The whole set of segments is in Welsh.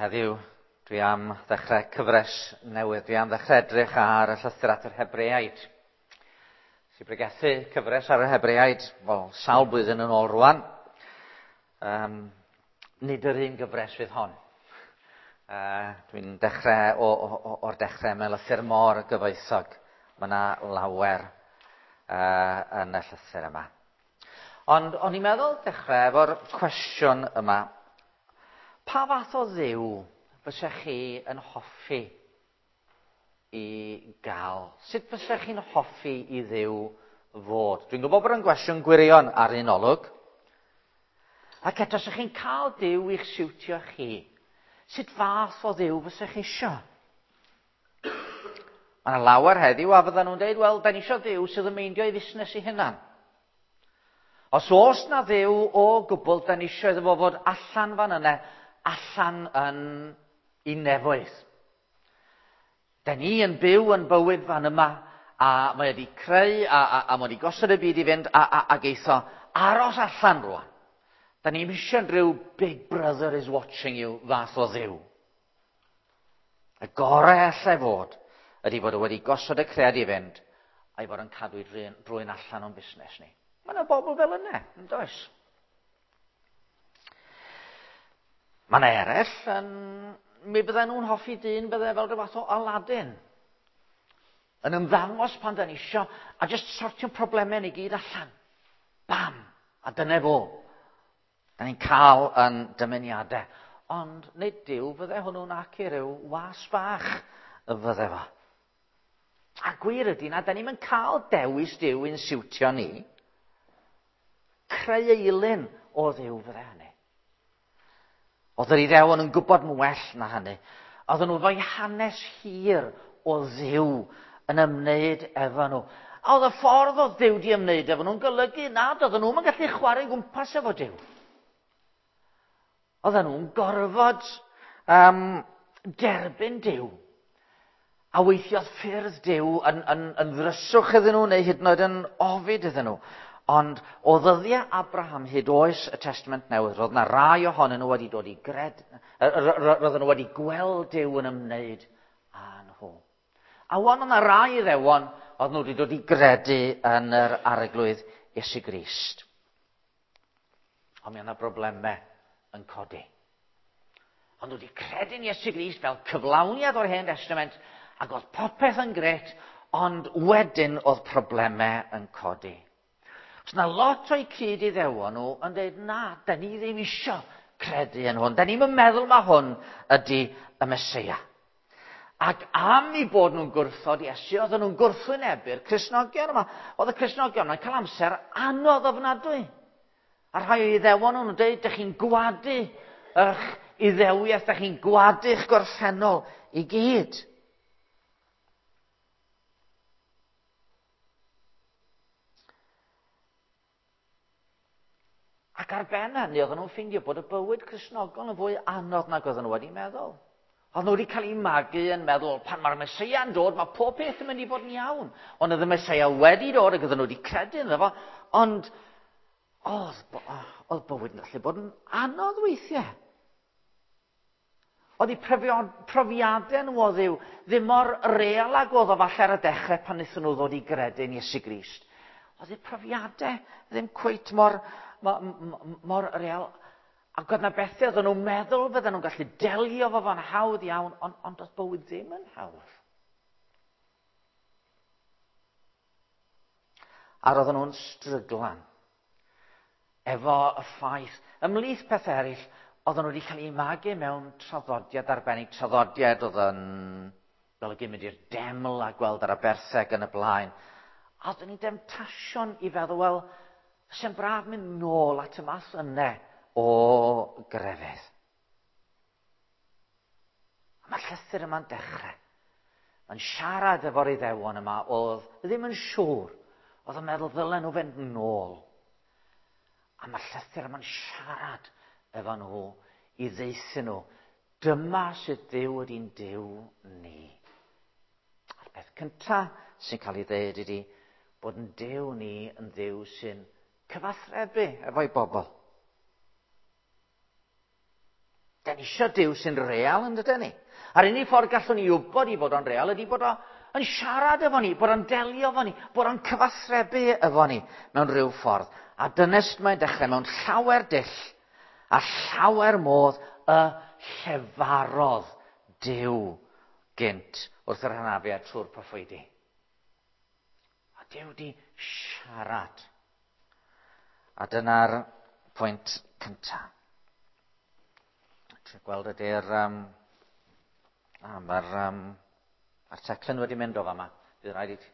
heddiw dwi am ddechrau cyfres newydd. Dwi am ddechrau edrych ar y llythyr at yr Hebreaid. Sy'n bregethu cyfres ar yr Hebreaid, wel, sawl blwyddyn yn ôl rwan. Um, nid yr un gyfres fydd hon. Uh, dwi'n dechrau o, o, o'r dechrau mewn lythyr mor gyfoethog. Mae yna lawer uh, yn y llythyr yma. Ond o'n i'n meddwl dechrau efo'r cwestiwn yma. Pa fath o ddiw fysech chi yn hoffi i gael? Sut fysech chi'n hoffi i ddiw fod? Dwi'n gwybod bod yn gwestiwn gwirion ar un olwg. Ac eto, os chi'n cael Duw i'ch siwtio chi, sut fath o ddiw fysech chi isio? Mae yna lawer heddiw a fyddan nhw'n dweud, wel, da ni isio Dduw sydd yn meindio ei fusnes ei hunan. Os oes na Dduw o gwbl, da ni isio iddo fo fod allan fan yna, allan yn i nefoedd. Da ni yn byw yn bywyd fan yma, a mae wedi creu, a, a, a mae wedi gosod y byd i fynd, a, a, a geitho aros allan rwan. Da ni'n eisiau rhyw Big Brother is watching you fath o ddiw. Y gorau allai fod ydy bod o wedi gosod y cread i fynd a'i fod yn cadw i drwy'n allan o'n busnes ni. Mae yna bobl fel yna, yn does? Mae yna eraill yn... Mi bydden nhw'n hoffi dyn bydde fel rhyw fath o Aladdin. Yn ymddangos pan da ni isio, a jyst sortio'n problemau ni gyd allan. Bam! A dyna fo. Da ni'n cael yn dymuniadau. Ond nid Duw fydde hwnnw'n ac i ryw was bach y fydde fo. A gwir ydy na, da ni'n mynd cael dewis Duw i'n siwtio ni. Creu eilun o Dduw fydde hynny. Oedd yr Iddewon yn gwybod yn well na hynny. Oedden nhw efo'i hanes hir o Dduw yn ymwneud efo nhw. A oedd y ffordd oedd Duw di ymwneud efo nhw'n golygu nad oedden nhw'n gallu chwarae gwmpas efo Duw. Oedden nhw'n gorfod um, derbyn Duw. A weithiodd ffyrdd Duw yn, yn, yn ddryswch iddyn nhw neu hyd yn oed yn ofid iddyn nhw. Ond o ddyddiau Abraham hyd oes y Testament Newydd, roedd yna rai ohonyn nhw wedi dod i gred, roedden nhw wedi gweld Duw yn ymwneud â nhw. A wan yna rai iddewon oedd nhw wedi dod i gredu yn yr arglwydd Iesu Grist. Ond mi yna broblemau yn codi. Ond wedi credu'n Iesu Grist fel cyflawniad o'r Hen Testament, ac oedd popeth yn gret, ond wedyn oedd problemau yn codi. Os na lot o'i cyd iddewon nhw yn dweud, na, da ni ddim isio credu yn hwn. Da ni'n meddwl mae hwn ydy y Mesoea. Ac am i bod nhw'n gwrthod Iesu, oedden nhw'n gwrthwynebu'r Cristnogion yma. Oedd y Cristnogion yma'n cael amser anodd ofnadwy. A rhai o iddewon nhw'n dweud, dych chi'n gwadu eich iddewiaeth, dych chi'n gwadu'ch gorffennol i gyd. Ac ar ben hynny, oedden nhw'n ffeindio bod y bywyd Cristnogol yn fwy anodd nag oedden nhw wedi meddwl. Oedden nhw wedi cael eu magu yn meddwl, pan mae'r Mesoea yn dod, mae pob peth yn mynd i fod yn iawn. Ond oedd y Mesoea wedi dod ac oedden nhw wedi credu ynddo fo, ond oedd, oedd bywyd yn gallu bod yn anodd weithiau. Oedd eu profiadau nhw o Dduw ddim mor real ag oedd o falle ar y dechrau pan wnaethon nhw ddod i gredu yn Iesu Grist. Oedd eu profiadau ddim cweit mor, mor, mor real. Ac oedd na bethau oedden nhw'n meddwl fydden nhw'n gallu delio fo fo'n hawdd iawn, ond, ond oedd bywyd ddim yn hawdd. A roedden nhw'n stryglan efo y ffaith, ymhlith pethau eraill, oedden nhw wedi cael eu magu mewn traddodiad arbennig, traddodiad oedd yn golygu mynd i'r deml a gweld yr abertheg yn y blaen. A oedden ni'n demtasiwn i feddwl, wel, sy'n braf mynd nôl at y math yna o grefydd. A mae'r llythyr yma'n dechrau. Mae'n siarad efo'r iddewon yma oedd ddim yn siŵr. Oedd yn meddwl ddylen nhw fynd nôl. A mae'r llythyr yma'n siarad efo nhw i ddeithio nhw. Dyma sydd Duw ydy'n Duw ni. A'r peth cyntaf sy'n cael ei ddeud ydy bod yn Duw ni yn Dduw sy'n cyfathrebu efo'i bobl. Da ni eisiau Duw sy'n real yn dydyn ni. A'r unig ffordd gallwn ni wybod i fod o'n real ydy bod o'n siarad efo ni, bod o'n delio efo ni, bod o'n cyfathrebu efo ni mewn rhyw ffordd. A dyna sut mae'n dechrau mewn llawer dull a llawer modd y llefarodd Duw gynt wrth yr hynafiad trwy'r proffwydi. A Duw di siarad. A dyna'r pwynt cyntaf. Trio gweld ydy'r... mae'r ma teclyn wedi mynd o fama. Bydd rhaid i ti.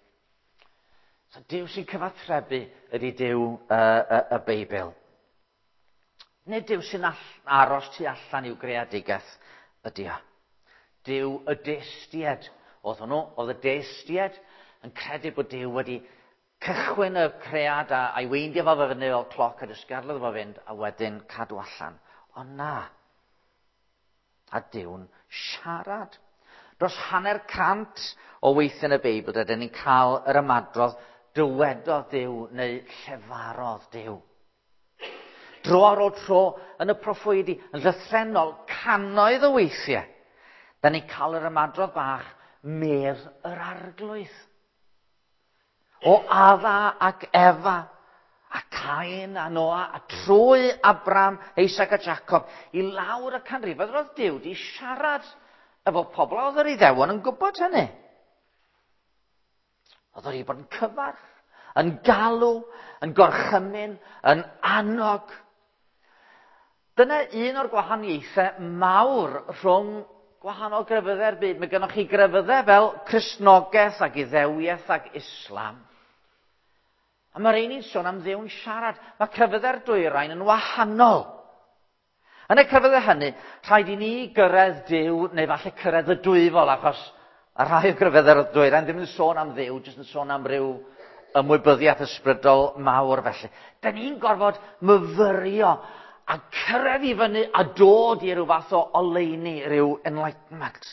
So Duw sy'n cyfathrebu ydy Duw y Beibl. Nid Duw sy'n aros tu allan i'w greadigaeth ydy o. Duw y deistiad oedd hwnnw, oedd y deistiad yn credu bod Duw wedi cychwyn y cread a'i weindio fo fyny fel cloc a jyst gadal iddo fo fynd a wedyn cadw allan. Ond na. A Duw'n siarad. Dros 150 o weithiau yn y Beibl, rydyn ni'n cael yr ymadrodd dywedodd Duw neu llefarodd Duw. Dro ar ôl tro yn y proffwydi, yn llythrennol, cannoedd o weithiau, da ni'n cael yr ymadrodd bach medd yr Arglwydd. O Adda ac Efa, a Cain a Noa, a trwy Abram, Isaac a Jacob, i lawr y canrifoedd, roedd Duw di siarad efo pobl, oedd yr Iddewon yn gwybod hynny. Oedd wedi bod yn cyfarch, yn galw, yn gorchymyn, yn annog. Dyna un o'r gwahaniaethau mawr rhwng gwahanol grefyddau'r byd. Mae gennych chi grefyddau fel Cristnogaeth ac Iddewiaeth ac Islam. A mae'r ein ni'n sôn am Dduw'n siarad. Mae crefyddau'r dwyrain yn wahanol. Yn y crefyddau hynny, rhaid i ni gyrraedd Duw, neu falle cyrraedd y dwyfol, achos a rhai o grefyddau'r dwyrain ddim yn sôn am Dduw, jyst yn sôn am ryw ymwybyddiaeth ysbrydol mawr felly. Da ni'n gorfod myfyrio a cyrraedd i fyny a dod i ryw fath o oleuni, ryw enlightenment.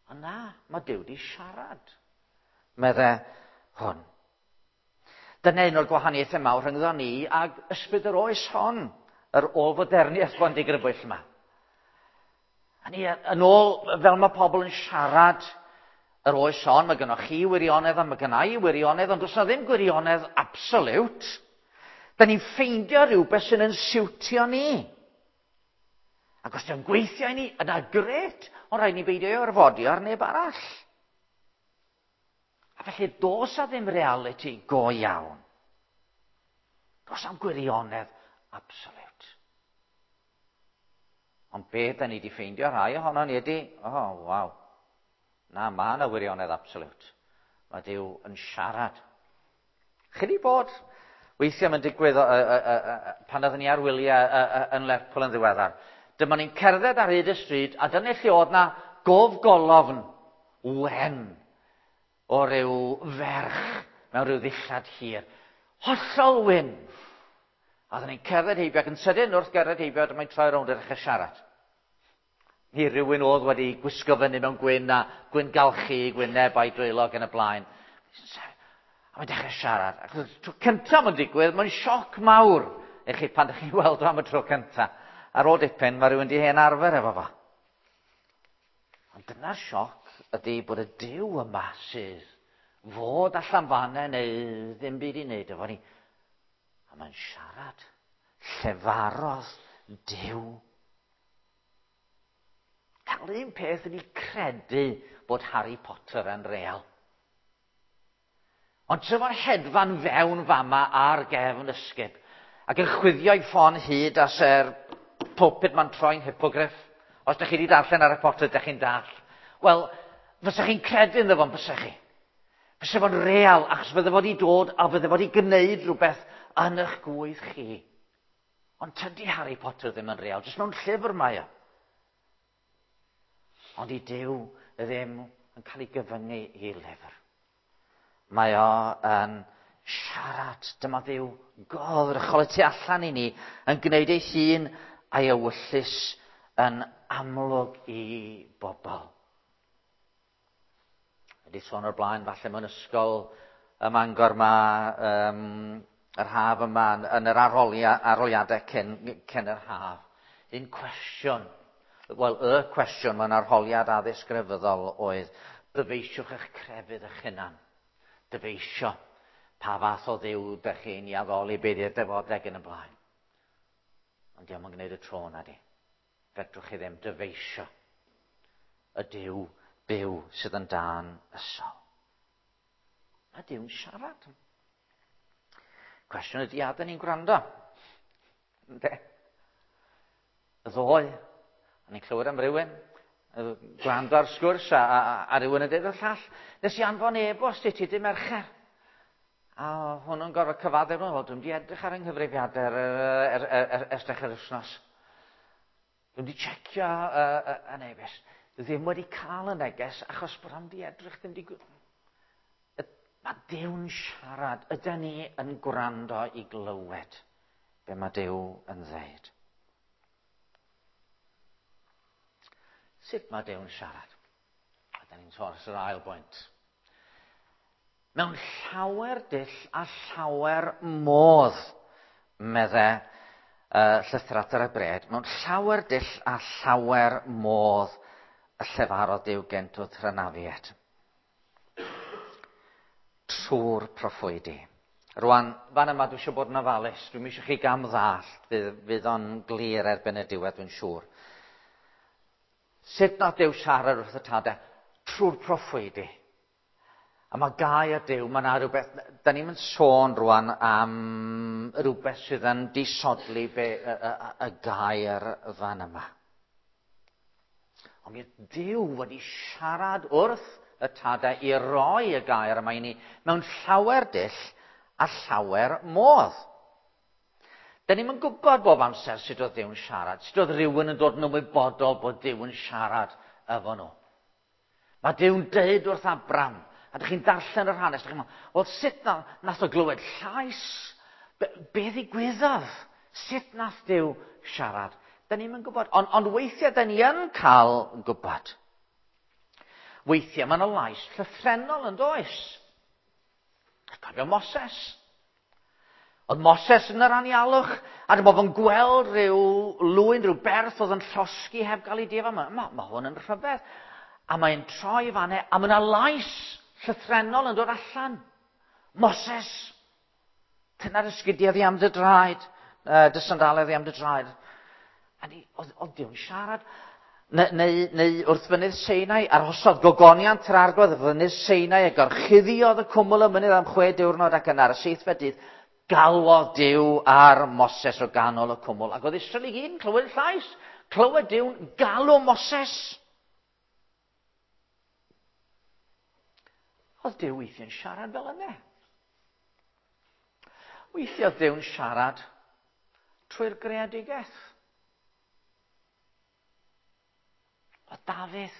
Ond na, mae Duw di siarad, medde hwn. Dyna un o'r gwahaniaethau mawr rhyngddo ni ag ysbryd yr oes hon, yr ôl-foderniaeth bondigrybwyll yma. A ni, yn ôl, fel mae pobl yn siarad yr oes hon, mae gynnoch chi wirionedd a mae gynna i wirionedd, ond does na ddim gwirionedd absolute. Da ni'n ffeindio rhywbeth sy'n yn siwtio ni. Ac os dio'n gweithio i ni, yna gret, ond rhaid ni beidio ei orfodi ar neb arall. A felly, does a ddim reality go iawn. Does am gwirionedd absolute. Ond be da ni wedi ffeindio rhai ohono ni ydy, oh, waw. Na, mae yna wirionedd absolute. Mae Duw yn siarad. Chi wedi bod, weithiau mae'n digwydd pan oeddwn ni ar wyliau yn Lerpwl yn ddiweddar. Dyma ni'n cerdded ar hyd y stryd, a dyna lle oedd na gofgolofn wen o ryw ferch mewn rhyw ddillad hir. Hollol wyn. A oeddwn ni'n cerdded heibio, ac yn sydyn wrth gerdded heibio, dyma'n troi rownd a dechrau siarad. Ni rhywun oedd wedi gwisgo fyny mewn gwyn a gwyn galchu, gwyneb a'i dwylo ac yn y blaen. A mae'n dechrau siarad. Ac y tro cyntaf mae'n digwydd, mae'n sioc mawr i chi pan ydych chi'n weld o am y tro cyntaf. Ar ôl dipyn, mae rhywun di hen arfer efo fo. Ond dyna'r sioc ydy bod y Duw yma sydd fod allan fanna neu ddim byd i wneud efo ni. A mae'n siarad. Llefarodd Duw. Cael un peth ydy credu bod Harry Potter yn real. Ond tra fo'n hedfan fewn fama ar gefn ysgub, ac yn chwifio ei ffon hyd as yr pulpit ma'n troi'n hippogriff. Os ydych chi wedi darllen Harry Potter, ydych chi'n dall. Wel, fysa chi'n credu ynddo fo'n bysa chi? Fysa fo'n real, achos fydde fo wedi dod a fydde fo wedi gwneud rhywbeth yn eich gwydd chi. Ond tydi Harry Potter ddim yn real, jyst mewn llyfr mae o. Ond i Duw ddim yn cael ei gyfyngu i lyfr. Mae o yn siarad. Dyma Dduw goddrychol y tu allan i ni yn gwneud ei hun a'i ewyllys yn amlwg i bobl. Wedi sôn o'r blaen, falle mewn ysgol ym Mangor ma, yr haf yma, yn yr arholiadau cyn yr haf. Un cwestiwn, wel, y cwestiwn mewn arholiad addysg grefyddol oedd, dyfeisiwch eich crefydd eich hunan. Dyfeisio pa fath o ddiw ydych chi'n i addoli, beth yw'r defodeg yn y blaen. Ond diolch yn gwneud y tro na di. Fedrwch chi ddim dyfeisio y Duw byw sydd yn dan ysol. Mae Duw'n siarad. Cwestiwn ydy, a dyn ni'n gwrando? Ynde? Y ddoe, a ni'n clywed am rywun, gwrando ar sgwrs a, a, a rhywun yn dweud o'r llall, nes i anfon e-bost i ti dy Mercher. A hwnnw'n gorfod cyfaddef, wel, dwi'n di edrych ar yng nghyfrifiadur er, er, er, er, ers dechrau'r wythnos. Dwi'n di checio y neges. Ddim wedi cael y neges achos bod am di edrych, ddim di... Mae Duw'n siarad. Ydy ni yn gwrando i glywed be mae Duw yn dweud? Sut mae Duw'n siarad? A da ni'n sôn yr ail bwynt. Mewn llawer dull a llawer modd, medde llythyr at yr Hebreaid, mewn llawer dull a llawer modd y llefarodd Duw gynt wrth hynafiaid. Trwy'r proffwydi. Rwan, fan yma dwi eisiau bod yn ofalus. Dwi'n eisiau chi gam ddallt. Fydd, fydd o'n glir erbyn y diwedd, dwi'n siŵr. Sut nath Duw siarad wrth y tadau? Trwy'r proffwydi. A mae gair Duw, mae yna rhywbeth, da ni'n mynd sôn rwan am rhywbeth sydd yn disodli be, y, y, y gair fan yma. Ond mi Duw wedi siarad wrth y tadau i roi y gair yma i ni mewn llawer dull a llawer modd. Da ni'n yn gwybod bob amser sut oedd Duw'n siarad, sut oedd rhywun yn dod yn ymwybodol bod Duw yn siarad efo nhw. Mae Duw'n deud wrth Abram, a dych chi'n darllen yr hanes, dych chi'n meddwl, wel sut na, nath o glywed llais? Be, be ddigwyddodd? Sut nath Duw siarad? Da ni'n gwybod, ond, ond weithiau da ni yn cael gwybod. Weithiau mae yna lais llythrennol yn does. Cofio Moses. Oedd Moses yn yr anialwch, a dyma fo'n gweld rhyw lwyn, rhyw berth oedd yn llosgi heb gael ei difa. Mae, ma, ma hwn yn rhyfedd. A mae'n troi fanne, a mae yna lais llythrennol yn dod allan. Moses, tynna'r ysgidiau ddi am dy draed, dy sandalau ddi am dy draed. A ni, oedd, oedd Duw'n siarad. Neu, neu, neu wrth fynydd Seinai, arhosodd gogoniant yr arglwydd wrth fynydd Seinai a gorchuddiodd y cwmwl y mynydd am chwe diwrnod ac yna ar y seithfed dydd galwodd Duw ar Moses o ganol y cwmwl. Ac oedd Israel i gyd yn clywed y llais. Clywed Duw'n galw Moses. Oedd Duw weithiau'n siarad fel yna. Weithiau oedd Duw'n siarad trwy'r greadigaeth. Oedd Dafydd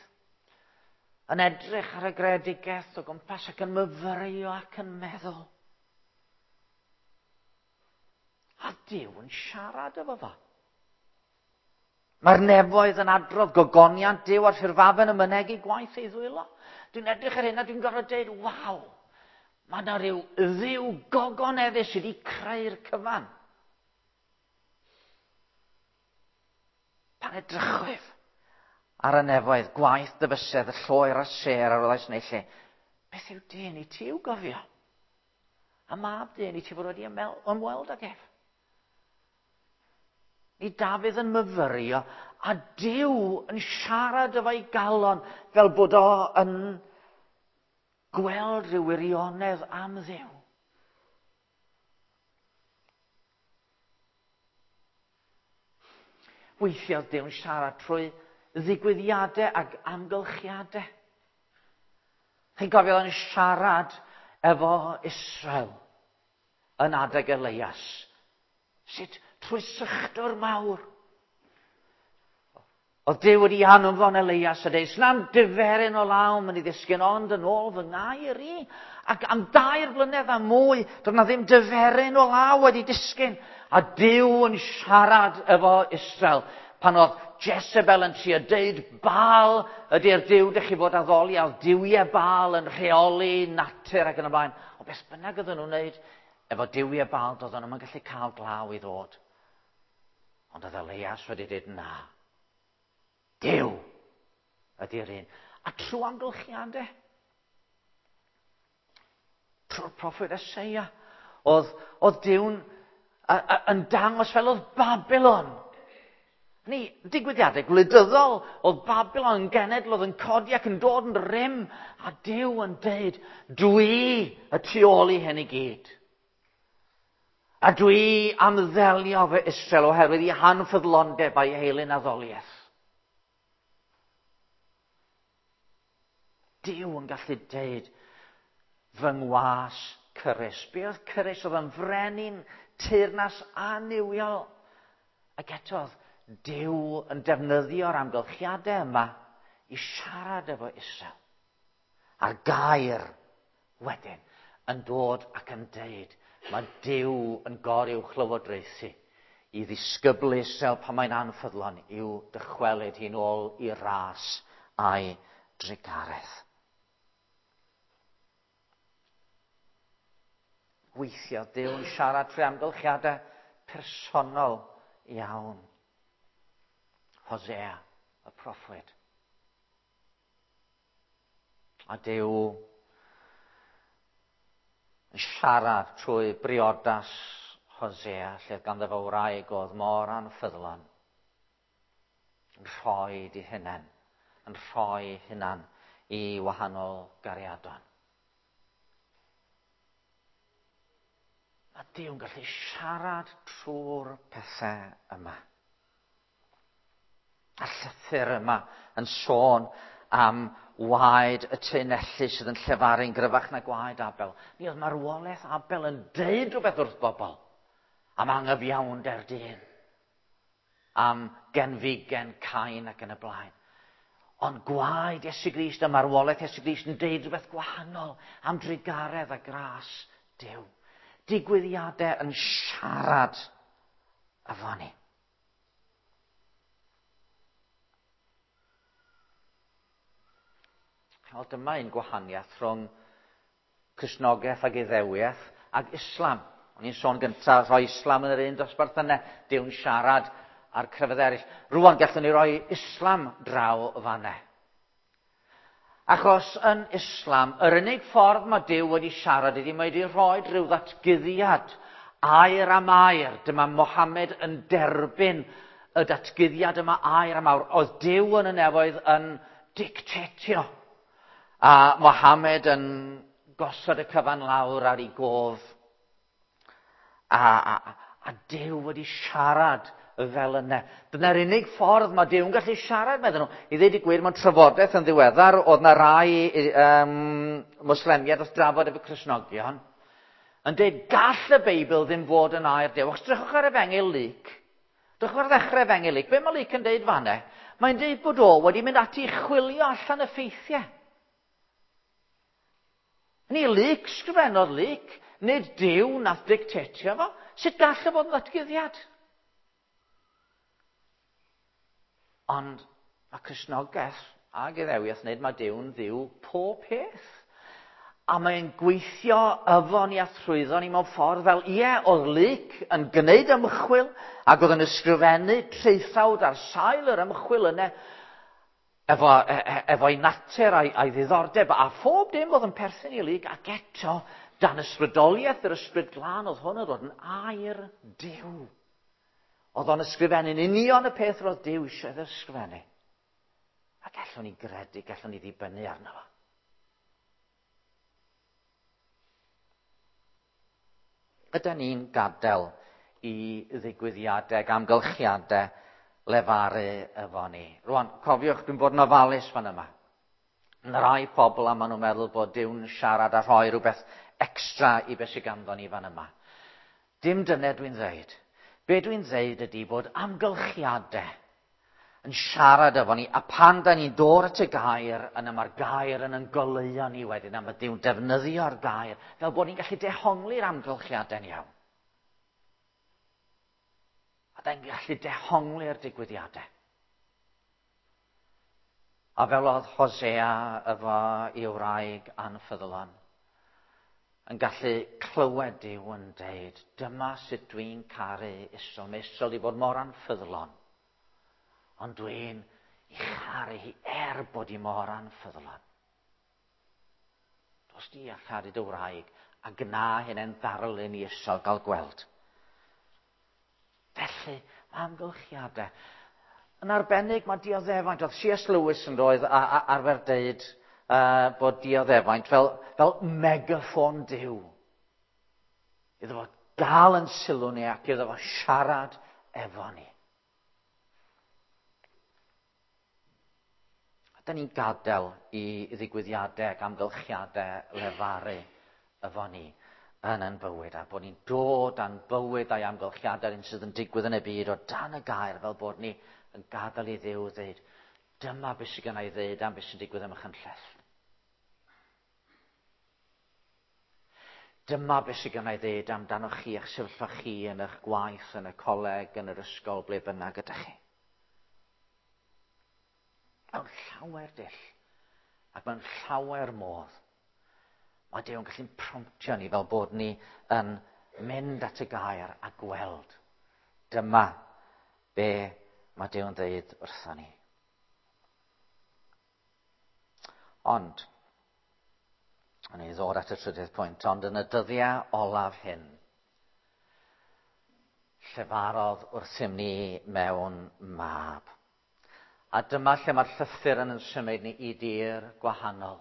yn edrych ar y greadigaeth o gwmpas ac yn myfyrio ac yn meddwl. A Duw yn siarad efo fo. Mae'r nefoedd yn adrodd gogoniant Duw a'r ffurfafen yn mynegi gwaith ei ddwylo. Dwi'n edrych ar hyn a dwi'n gorfod dweud, waw, mae yna rhyw ddiw gogoneddus sydd wedi creu'r cyfan. Pan edrychwyf ar y nefoedd, gwaith dyfysedd, y lloer a'r sêr ar roddais neu lle, beth yw dyn i ti i'w gofio? A mab dyn i ti fod wedi ymweld ag ef? Ni Dafydd yn myfyrio a Duw yn siarad efo'i galon fel bod o yn gweld rhyw wirionedd am Dduw. Weithiau oedd Duw'n siarad trwy ddigwyddiadau ac amgylchiadau. Chi'n cofio yn siarad efo Israel yn adeg Elias. Sut? Trwy sychdor mawr. Oedd Duw wedi anfon Elias a dweud, sna'm diferyn o law mynd i ddisgyn ond yn ôl fy ngair i. Ac am dair blynedd a mwy, doedd na ddim diferyn o law wedi disgyn. A Duw yn siarad efo Israel pan oedd Jezebel yn trio deud Baal ydy'r Duw dych chi fod addoli, a oedd duwiau Baal yn rheoli natur ac yn y blaen. O beth bynnag oedden nhw'n wneud efo duwiau Baal, doedden nhw'n gallu cael glaw i ddod. Ond oedd Elias wedi dweud na. Duw ydy'r un. A trwy amgylchiadau, trwy'r proffwyd Eseia, oedd, oedd Duw'n yn dangos fel oedd Babylon. Ni, digwyddiadau gwleidyddol, oedd Babylon yn genedl oedd yn codi ac yn dod yn rym, a Duw yn deud, dwi y tu ôl i hyn i gyd. A dwi am ddelio fy Israel oherwydd i hanffyddlondeb a'i heilun addoliaeth. Duw yn gallu deud, fy ngwas Cyrus. Be oedd Cyrus? Oedd yn frenin teyrnas annuwiol. Ac eto oedd Duw yn defnyddio'r amgylchiadau yma i siarad efo Israel. A'r gair wedyn yn dod ac yn deud, mae Duw yn goruwch lywodraethu i ddisgyblu Israel pan mae'n anffyddlon i'w dychwelyd hi'n ôl i ras a'i drugaredd. Weithiau Duw yn siarad trwy amgylchiadau personol iawn. Hosea, y proffwyd. A Duw yn siarad trwy briodas Hosea, lle oedd ganddo fo wraig oedd mor anffyddlon, yn rhoi di hunain, yn rhoi hunan i wahanol gariadon. Mae Duw'n gallu siarad trwy'r pethau yma. A llythyr yma yn sôn am waed y teunellu sydd yn llefaru'n gryfach na gwaed Abel. Mi oedd marwolaeth Abel yn deud rhywbeth wrth bobl am angyfiawnder dyn, am genfigen Cain ac yn y blaen. Ond gwaed Iesu Grist a marwolaeth Iesu Grist yn deud rhywbeth gwahanol am drugaredd a gras Duw. Digwyddiadau yn siarad efo ni. Wel, dyma un gwahaniaeth rhwng Cristnogaeth ag Iddewiaeth ag Islam. O'n i'n sôn gyntaf, rhoi Islam yn yr un dosbarth yna, Duw'n siarad a'r crefydd eraill. Rwan gallwn ni roi Islam draw o fanna. Achos yn Islam, yr unig ffordd mae Duw wedi siarad iddi, mae wedi rhoi rhyw ddatguddiad air am air. Dyma Mohammed yn derbyn y datguddiad yma air am air. Oedd Duw yn y nefoedd yn dictatio. A Mohammed yn gosod y cyfan lawr ar ei gof. A Duw wedi siarad fel yna. Dyna'r unig ffordd mae Duw'n gallu siarad, meddyn nhw. I ddweud y gwir, mewn trafodaeth yn ddiweddar, oedd na rai Mwslemiaid wrth drafod efo Cristnogion, yn dweud, gall y Beibl ddim fod yn air Duw. Achos drychwch ar Efengyl Luc. Drychwch ar ddechrau Efengyl Luc. Be mae Luc yn dweud fanna? Mae'n dweud bod o wedi mynd ati i chwilio allan y ffeithiau. Ni Luc, sgrifennodd Luc, nid Duw nath dictatio fo. Sut gall o fod yn ddatguddiad? Ond mae Cristnogaeth ag Iddewiaeth yn dweud mae Duw'n ddiw pob peth. A mae'n gweithio efo ni a thrwyddo ni mewn ffordd fel, ie, oedd Luc yn gwneud ymchwil ac oedd yn ysgrifennu traethawd ar sail yr ymchwil yna efo'i natur a'i ddiddordeb a phob dim oedd yn perthyn i Luc, ac eto, dan ysbrydoliaeth yr Ysbryd Glân oedd hwn yn dod yn air Duw. Oedd o'n ysgrifennu'n union y peth roedd Duw eisiau iddo ysgrifennu. A gallwn ni gredu, gallwn ni ddibynnu arno fo. Ydy ni'n gadael i ddigwyddiadau ac amgylchiadau lefaru efo ni? Rwan, cofiwch, dwi'n bod yn ofalus fan yma. Yna rai pobl a maen nhw'n meddwl bod Duw'n siarad a rhoi rhywbeth extra i beth sydd ganddo ni fan yma. Dim dyna dwi'n dweud. Be dwi'n dweud ydy bod amgylchiadau yn siarad efo ni, a pan da ni'n dod at y gair, yna mae'r gair yn goleuo ni wedyn, a mae Duw'n defnyddio'r gair, fel bod ni'n gallu dehongli'r amgylchiadau'n iawn. A da ni'n gallu dehongli'r digwyddiadau. A fel oedd Hosea efo ei wraig anffyddlon, yn gallu clywed Duw yn deud, dyma sut dwi'n caru Israel. Mae Israel wedi bod mor anffyddlon, ond dwi'n ei charu hi er bod hi mor anffyddlon. Dos di a charu dy wraig, a gna hynny'n ddarlun i Israel gael gweld. Felly, mae amgylchiadau. Yn arbennig, mae dioddefaint. Oedd C.S. Lewis yn doedd arfer deud bod dioddefaint fel megaffon Duw. Iddo fo gael yn sylw ni ac iddo fo siarad efo ni. A da ni'n gadael i ddigwyddiadau ac amgylchiadau lefaru efo ni yn ein bywyd, a bod ni'n dod â'n bywyd a'i amgylchiadau un sydd yn digwydd yn y byd o dan y gair, fel bod ni yn gadael i Dduw ddeud, dyma beth sydd gen i ddeud am beth sy'n digwydd ym Machynlleth. Dyma beth sydd gen i ddeud amdanoch chi, eich sefyllfa chi yn eich gwaith, yn y coleg, yn yr ysgol, ble bynnag ydych chi. Mewn llawer dull, ac mewn llawer modd, mae Duw yn gallu promptio ni fel bod ni yn mynd at y gair a gweld. Dyma be mae Duw yn dweud wrtho ni. Ond, yn ei ddod at y trydydd pwynt, ond yn y dyddiau olaf hyn, llefarodd wrthym ni mewn mab. A dyma lle mae'r llythyr yn symud ni i dir gwahanol.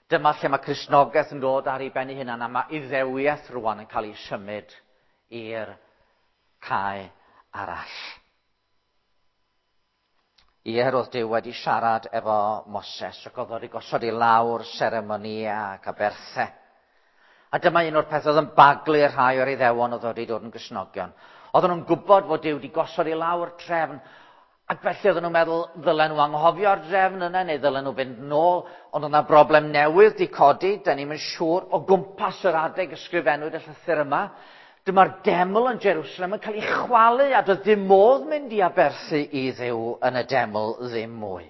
Dyma lle mae Cristnogaeth yn dod ar ei ben ei hunan, a mae Iddewiaeth rwan yn cael ei symud i'r cae arall. Ie, roedd Duw wedi siarad efo Moses, ac oedd wedi gosod i lawr seremoniau ac aberthau. A dyma un o'r pethau oedd yn baglu rhai o'r Iddewon oedd wedi dod yn Gristnogion. Oedden nhw'n gwybod fod Duw wedi gosod i lawr trefn, ac felly oedden nhw'n meddwl ddylen nhw anghofio'r drefn yna neu ddylen nhw fynd nôl, ond oedd yna broblem newydd di codi, da ni'm yn siŵr, o gwmpas yr adeg ysgrifennwyd y llythyr yma. Dyma'r deml yn Jerusalem yn cael ei chwalu, a doedd dim modd mynd i aberthu i Dduw yn y deml ddim mwy.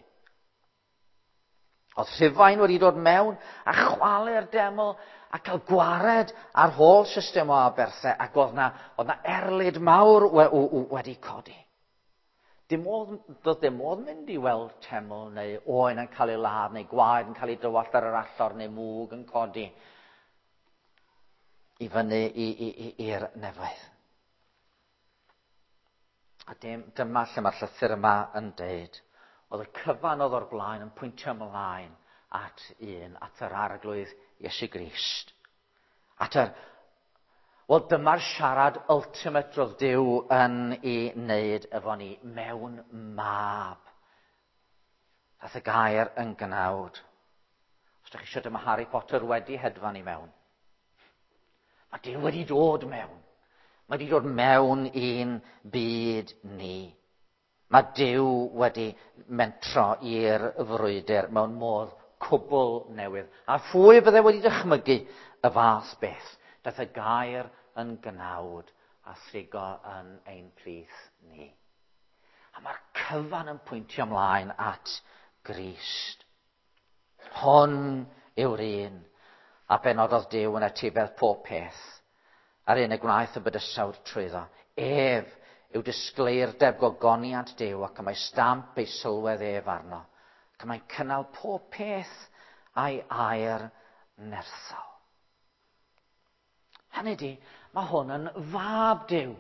Oedd Rhufain wedi dod mewn a chwalu'r deml a cael gwared ar holl system o aberthau, ac oedd na erlid mawr wedi codi. Doedd dim modd mynd i weld teml neu oen yn cael ei ladd neu gwaed yn cael ei dywallt ar yr allor neu mwg yn codi i fyny i'r nefoedd. A dyma lle mae'r llythyr yma yn deud, oedd y cyfan oedd o'r blaen yn pwyntio ymlaen at un, at yr Arglwydd Iesu Grist. Wel, dyma'r siarad ultimate roedd Duw yn ei wneud efo ni mewn mab. Daeth y gair yn gnawd. Os ydych chi eisiau, dyma Harry Potter wedi hedfan i mewn. Mae Duw wedi dod mewn. Mae wedi dod mewn i'n byd ni. Mae Duw wedi mentro i'r frwydr mewn modd cwbl newydd. A phwy fydde wedi dychmygu y fath beth? Daeth y gair yn gnawd a thrigo yn ein plith ni. A mae'r cyfan yn pwyntio ymlaen at Grist. Hwn yw'r un a benododd Duw yn etifedd pob peth, a'r un y gwnaeth y bydysawd trwyddo. Ef yw disgleirdeb gogoniant Duw, ac y mae stamp ei sylwedd ef arno, ac y mae'n cynnal pob peth a'i air nerthol. Hynny ydi, mae hwn yn fab Duw.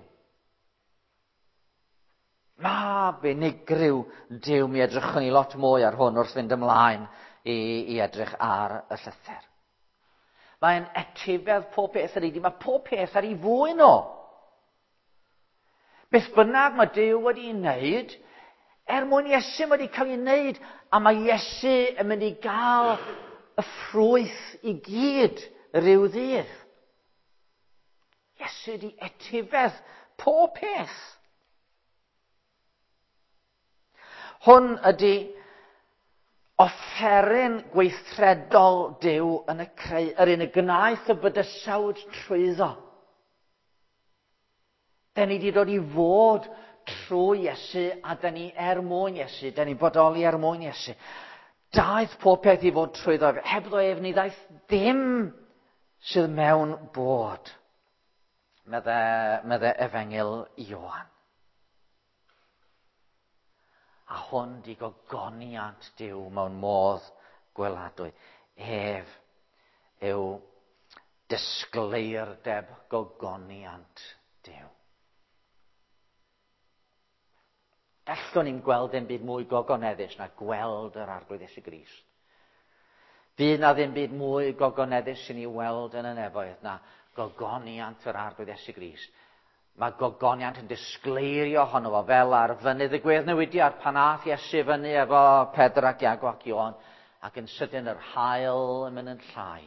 Mab unigryw Duw. Mi edrychwn ni lot mwy ar hwn wrth fynd ymlaen i edrych ar y llythyr. Mae'n etifedd pob peth yr ydi. Mae pob peth ar ei fwyn o. Beth bynnag mae Duw wedi ei wneud, er mwyn Iesu mae wedi cael ei wneud, a mae Iesu yn mynd i gael y ffrwyth i gyd rhyw ddydd. Iesu wedi etifedd pob peth. Hwn ydy offeryn gweithredol Duw yn y creu, yr un y gwnaeth y bydysawd trwyddo. Da ni wedi dod i fod trwy Iesu, a da ni er mwyn Iesu, da ni bodoli er mwyn Iesu. Daeth pob peth i fod trwyddo ef. Hebddo ef ni ddaeth dim sydd mewn bod, medde, medde Efengyl Ioan. A hwn di gogoniant Duw mewn modd gweladwy. Ef yw disgleirdeb gogoniant Duw. Gallwn ni'n gweld dim byd mwy gogoneddus na gweld yr Arglwydd Iesu Grist. Fydd na ddim byd mwy gogoneddus i ni weld yn y nefoedd na gogoniant yr Arglwydd Iesu Grist. Mae gogoniant yn disgleirio ohono fo fel ar fynydd y gweddnewidiad pan ath Iesu fyny efo Pedr ac Iago ac Ioan ac yn sydyn yr haul yn mynd yn llai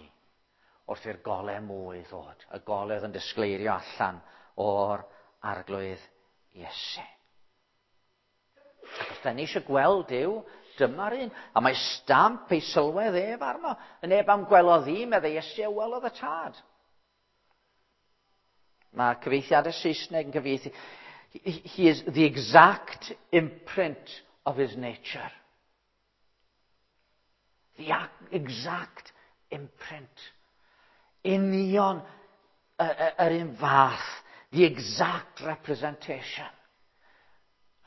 wrth i'r golau mwy ddod. Y golau oedd yn disgleirio allan o'r Arglwydd Iesu. Ac os da ni eisiau gweld Duw, dyma'r un. A mae stamp ei sylwedd ef arno. Y neb am gwelodd i, meddai Iesu, a welodd y tad. Mae cyfieithiadau Saesneg yn cyfieithu. He is the exact imprint of his nature. The exact imprint. Union yr un fath. The exact representation.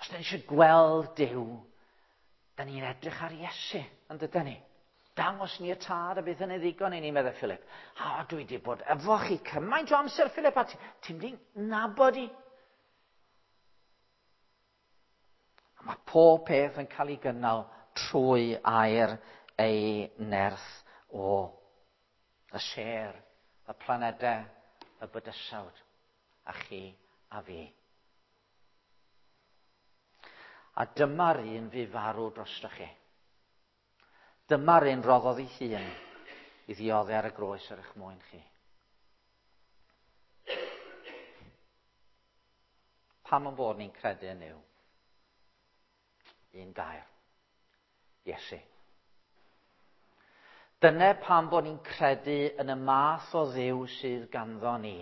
Os da ni eisiau gweld Duw, da ni'n edrych ar Iesu, yn dydyn ni? Dangos ni y tad a bydd hynny ddigon i ni, meddai Philip. A dwi wedi bod efo chi cymaint o amser, Philip, a ti'n mynd nabod i. A mae pob peth yn cael ei gynnal trwy air ei nerth o. Y sêr, y planedau, y bydysawd, a chi a fi. A dyma'r un fu farw drostoch chi. Dyma'r un roddodd ei hun i ddioddef ar y groes ar eich mwyn chi. Pam yn bod ni'n credu yn Nuw? Un gair. Iesu. Dyna pam bod ni'n credu yn y math o Dduw sydd ganddo ni.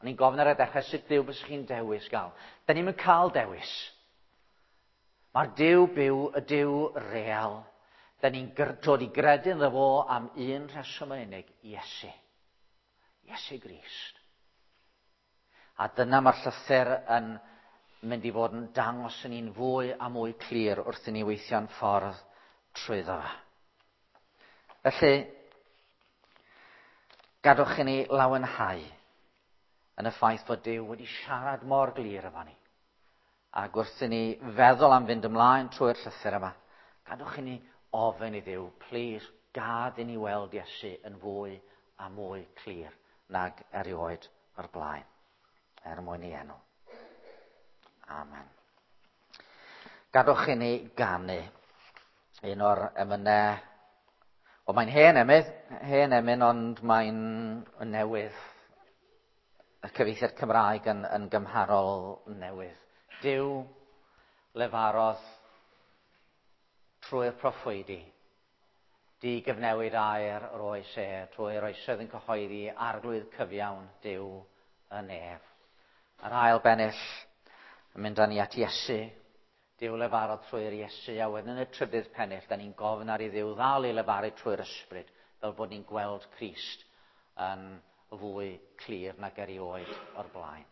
O'n i'n gofyn ar y dechrau sut Dduw bysych chi'n dewis gael. Da ni'n cael dewis. Mae'r Duw byw, y Duw real. Da ni'n dod i gredu ynddo fo am un rheswm yn unig, Iesu. Iesu Grist. A dyna mae'r llythyr yn mynd i fod yn dangos yn ni'n fwy a mwy clir wrth i ni weithio'n ffordd trwyddo fe. Felly, gadwch i ni lawenhau yn y ffaith bod Duw wedi siarad mor glir efo ni. Ac wrth i ni feddwl am fynd ymlaen trwy'r llythyr yma, gadwch i ni ofyn i Dduw, plis, gad i ni weld Iesu yn fwy a mwy clir nag erioed o'r blaen, er mwyn ei enw. Amen. Gadwch i ni ganu un o'r emynau. O, mae'n hen emydd, hen emyn, ond mae'n newydd. Y cyfieithiad Cymraeg yn, yn gymharol newydd. Duw lefarodd trwy'r proffwydi, di gyfnewid air yr oes e, trwy'r oesoedd yn cyhoeddi arglwydd cyfiawn Duw y nef. Yr ail bennill yn mynd â ni at Iesu, Duw lefarodd trwy'r Iesu, a wedyn yn y trydydd pennill, da ni'n gofyn ar i Dduw ddal i lefaru trwy'r ysbryd, fel bod ni'n gweld Crist yn fwy clir nag erioed o'r blaen.